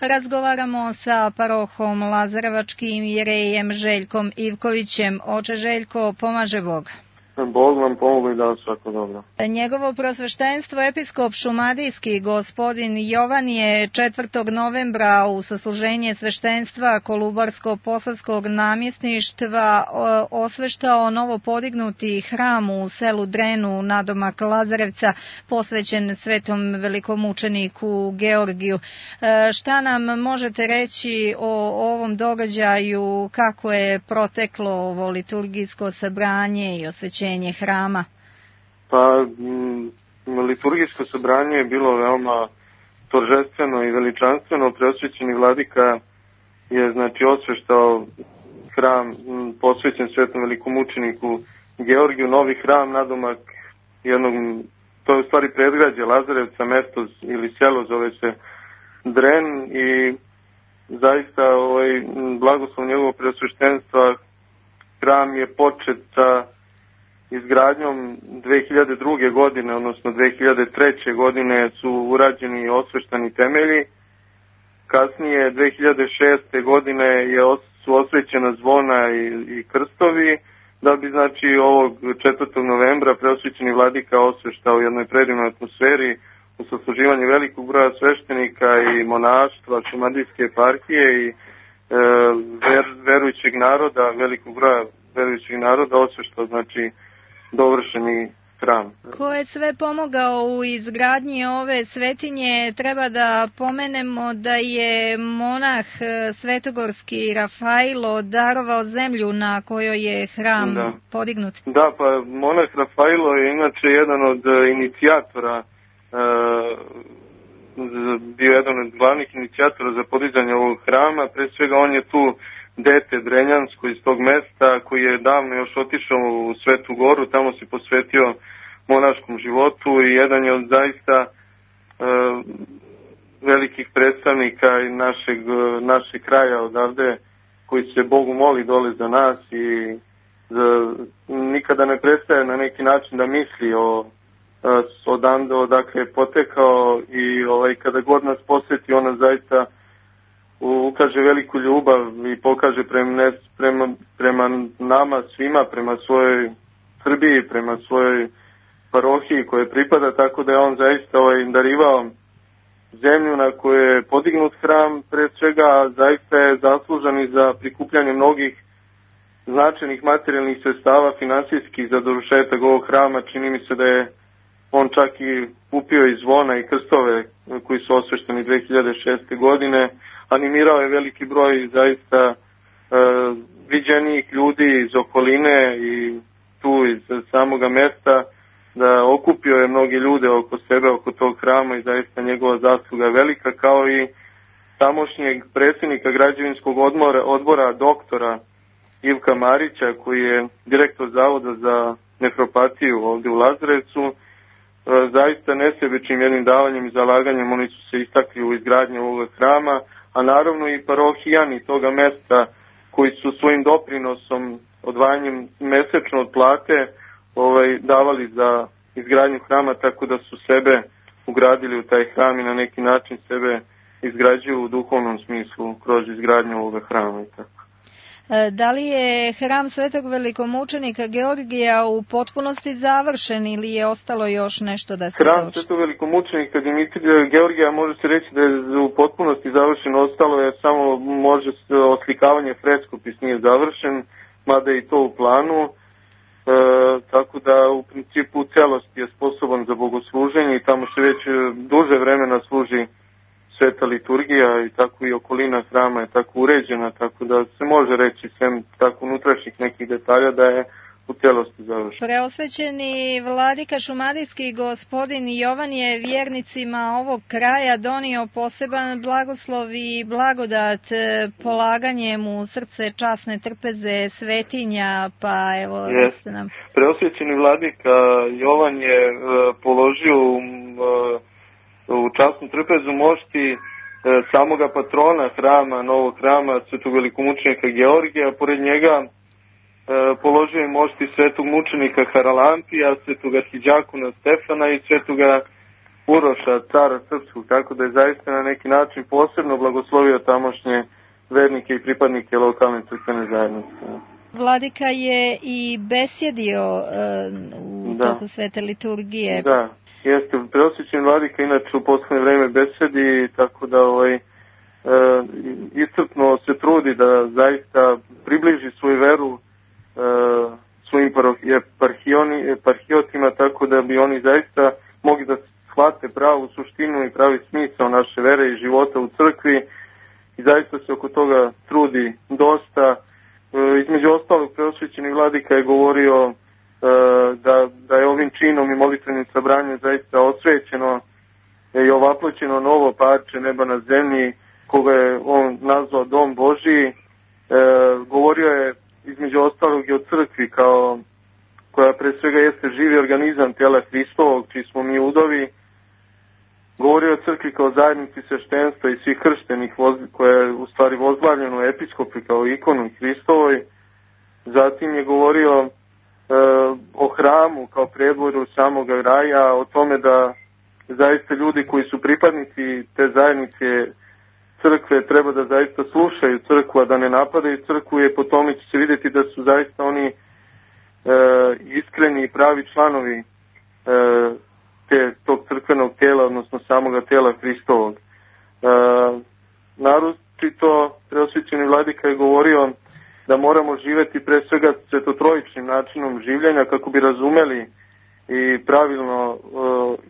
Razgovaramo sa parohom Lazarevačkim jerejem Željkom Ivkovićem. Oče Željko, pomaže Bog. Bog vam pomogu i da svako dobro. Njegovo prosveštenstvo episkop šumadijski gospodin Jovan je 4. novembra u sasluženje sveštenstva Kolubarsko-posavskog namjesništva osveštao novo podignuti hram u selu Drenu nadomak Lazarevca posvećen svetom velikomučeniku Georgiju. Šta nam možete reći o ovom događaju, kako je proteklo ovo liturgijsko sabranje i osvećenje hrama? Pa, liturgijsko sabranje je bilo veoma торжествено i veličanstveno. Preosvećeni vladika je osveštao hram posvećen svetom velikomučeniku Georgiju, novi hram nadomak jednog, to je u stvari predgrađe Lazarevca, mesto ili selo zove se Dren, i zaista blagoslov njegovog preosveštenstva hram je počet sa izgradnjom 2002. godine, odnosno 2003. godine su urađeni i osveštani temelji. Kasnije 2006. godine su osvećena zvona i krstovi, da bi ovog 4. novembra preosvećeni vladika osveštao u jednoj predivnoj atmosferi u sasluživanju velikog broja sveštenika i monaštva šumadijske eparhije i verujućeg naroda, velikog broja verujućeg naroda osveštao dovršeni hram. Ko je sve pomogao u izgradnji ove svetinje? Treba da pomenemo da je monah svetogorski Rafailo darovao zemlju na kojoj je hram podignut. Da, pa monah Rafailo je inače jedan od inicijatora, bio jedan od glavnih inicijatora za podizanje ovog hrama. Pre svega on je tu dete Drenjansko iz tog mesta, koji je davno još otišao u Svetu Goru, tamo se posvetio monaškom životu i jedan je od zaista velikih predstavnika i našeg kraja odavde, koji se Bogu moli dole za nas i nikada ne prestaje na neki način da misli odakle je potekao i kada god nas posjeti ona zaista ukaže veliku ljubav i pokaže prema nama svima, prema svojoj Srbiji, prema svojoj parohiji koje pripada, tako da je on zaista darivao zemlju na kojoj je podignut hram, pre svega zaista je zaslužan i za prikupljanje mnogih značajnih materijalnih sredstava finansijskih za dovršetak ovog hrama. Čini mi se da je on čak i kupio i zvona i krstove koji su osvešteni 2006. godine. Animirao je veliki broj zaista viđenijih ljudi iz okoline i tu iz samoga mesta, da okupio je mnogi ljude oko sebe, oko tog hrama, i zaista njegova zasluga je velika, kao i tamošnjeg predsjednika građevinskog odbora doktora Ivka Marića, koji je direktor Zavoda za nefropatiju ovdje u Lazarevcu. Zaista nesebičnim jednim davanjem i zalaganjem oni su se istakli u izgradnju ovog hrama, a naravno i parohijani toga mesta koji su svojim doprinosom, odvajanjem mesečno od plate, davali za izgradnju hrama, tako da su sebe ugradili u taj hram i na neki način sebe izgrađuju u duhovnom smislu kroz izgradnju ovog hrama i tako. Da li je hram svetog velikomučenika Georgija u potpunosti završen ili je ostalo još nešto da se dovrši? Hram svetog velikomučenika Georgija može se reći da je u potpunosti završen, ostalo je samo oslikavanje freskopis nije završen, mada je i to u planu, tako da u principu u celosti je sposoban za bogosluženje i tamo se već duže vremena služi sveta liturgija i tako i okolina hrama je tako uređena, tako da se može reći sem tako unutrašnjih nekih detalja da je u celosti završen. Preosvećeni vladika šumadijski gospodin Jovan je vjernicima ovog kraja donio poseban blagoslov i blagodat polaganjem u srce časne trpeze svetinja, pa evo recite nam. Preosvećeni vladika Jovan je položio u časnu trpezu mošti samoga patrona hrama, novog hrama, svetog velikomučenika Georgija, pored njega položio je mošti svetog mučenika Haralampija, svetog arhidjakona Stefana i svetoga Uroša, cara srpskog, tako da je zaista na neki način posebno blagoslovio tamošnje vernike i pripadnike lokalne crkvene zajednice. Vladika je i besjedio u toku svete liturgije. Da, jeste. Preosvećeni vladika inače u poslednje vreme besjedi, tako da iscrpno se trudi da zaista približi svoju veru svojim eparhijotima, tako da bi oni zaista mogli da shvate pravu suštinu i pravi smisao naše vere i života u crkvi i zaista se oko toga trudi dosta. Između ostalog, preosvećeni vladika je govorio da je ovim činom i molitvenim sabranjem zaista osvećeno i ovaploćeno novo parče neba na zemlji, koga je on nazvao Dom Božiji. Govorio je između ostalog i o crkvi koja pre svega jeste živi organizam tijela Hristovog, čiji smo mi udovi. Govorio o crkvi kao zajednici sveštenstva i svih krštenih, koja je u stvari vozglavljena u episkopi kao ikonu Hristovoj. Zatim je govorio o hramu kao predvoru samog raja, o tome da zaista ljudi koji su pripadnici te zajednice crkve treba da zaista slušaju crkvu, a da ne napadaju crkvu, je po tome će se vidjeti da su zaista oni iskreni i pravi članovi tog crkvenog tijela, odnosno samoga tijela Hristovog. Naročito preosvećeni vladika je govorio da moramo živjeti pre svega svetotrojičnim načinom življenja kako bi razumeli i pravilno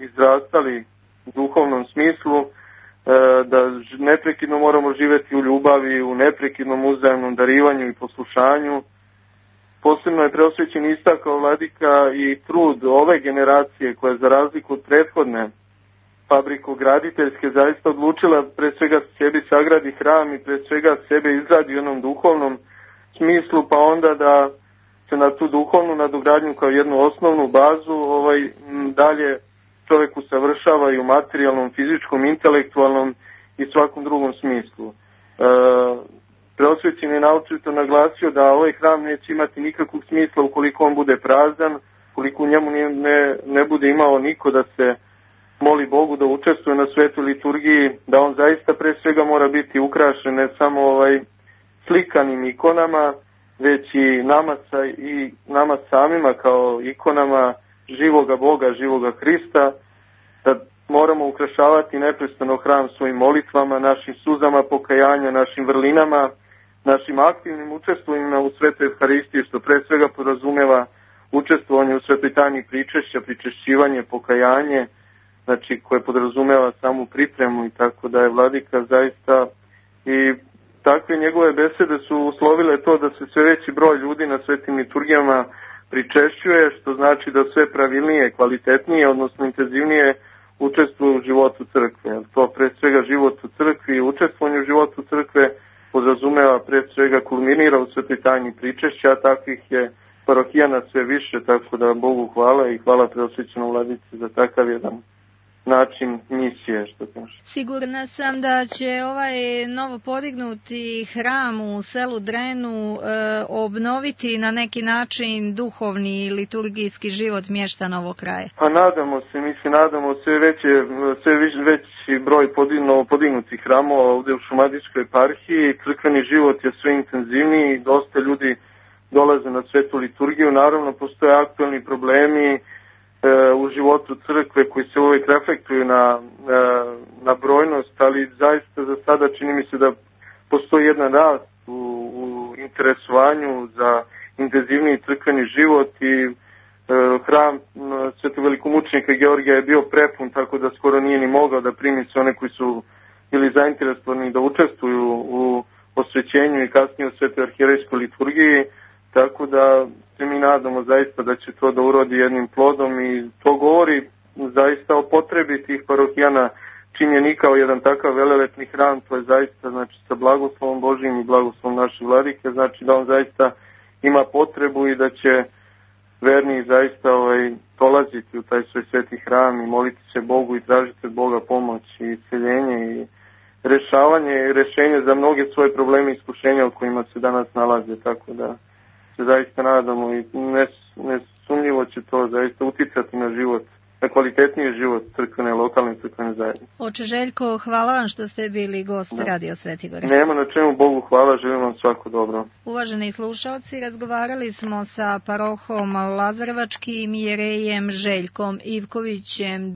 izrastali u duhovnom smislu, da neprekidno moramo živjeti u ljubavi, u neprekidnom uzajamnom darivanju i poslušanju. Posebno je preosvećen istakao vladika i trud ove generacije koja za razliku od prethodne fabrikograditeljske zaista odlučila pre svega sebi sagradi hram i pre svega sebe izgradi u jednom duhovnom smislu, pa onda da se na tu duhovnu nadogradnju kao jednu osnovnu bazu dalje čovjek usavršava i u materijalnom, fizičkom, intelektualnom i svakom drugom smislu. Preosvećen je naočito naglasio da ovaj hram neće imati nikakvog smisla ukoliko on bude prazan, ukoliko u njemu ne bude imao niko da se moli Bogu, da učestvuje na svetoj liturgiji, da on zaista pre svega mora biti ukrašen ne samo slikanim ikonama, već i nama samima kao ikonama živoga Boga, živoga Hrista, da moramo ukrašavati neprestano hram svojim molitvama, našim suzama pokajanja, našim vrlinama, našim aktivnim učestvovanjima u svetoj Evharistiji, što pre svega podrazumeva učestvovanje u svetoj tajni pričešća, pričešćivanje, pokajanje, znači koje podrazumeva samu pripremu, i tako da je vladika zaista i takve njegove besede su uslovile to da se sve veći broj ljudi na svetim liturgijama pričešćuje, što znači da sve pravilnije, kvalitetnije, odnosno intenzivnije učestvuju u životu crkve. To pre svega život u crkvi i učestvovanje u životu crkve podrazumeva pre svega kulminira u svetoj tajni pričešća, a takvih je parohijana sve više, tako da Bogu hvala i hvala preosvećenom vladici za takav jedan način misije, što kaže. Sigurna sam da će ovaj novo podignuti hram u selu Drenu obnoviti na neki način duhovni i liturgijski život mještana ovog kraja. Pa nadamo se, sve veći broj podignutih hramova ovdje u Šumadijskoj eparhiji, crkveni život je sve intenzivniji, dosta ljudi dolaze na svetu liturgiju, naravno postoje aktualni problemi u životu crkve koji se uvijek reflektuju na brojnost, ali zaista za sada čini mi se da postoji jedan rast u interesovanju za intenzivniji crkveni život i hram svetog velikomučenika Georgija je bio prepun, tako da skoro nije ni mogao da primi sve one koji su bili zainteresovani da učestvuju u osvećenju i kasnije u svetoj arhijerejskoj liturgiji. Tako da se mi nadamo zaista da će to da urodi jednim plodom i to govori zaista o potrebi tih parohijana činjeni kao jedan takav velelepni hram, to je zaista znači sa blagoslovom Božijim i blagoslovom naše vladike, znači da on zaista ima potrebu i da će verni zaista dolaziti u taj svoj sveti hram i moliti se Bogu i tražiti od Boga pomoć i isceljenje i rešenje za mnoge svoje probleme i iskušenja u kojima se danas nalaze, tako da se zaista nadamo i nesumnjivo će to zaista uticati na život na kvalitetniji život crkvene, lokalne crkvene zajednice. Oče Željko, hvala vam što ste bili gost Radio Svetigore. Nema na čemu, Bogu hvala, želim vam svako dobro. Uvaženi slušalci, razgovarali smo sa parohom Lazarevačkim jerejem Željkom Ivkovićem.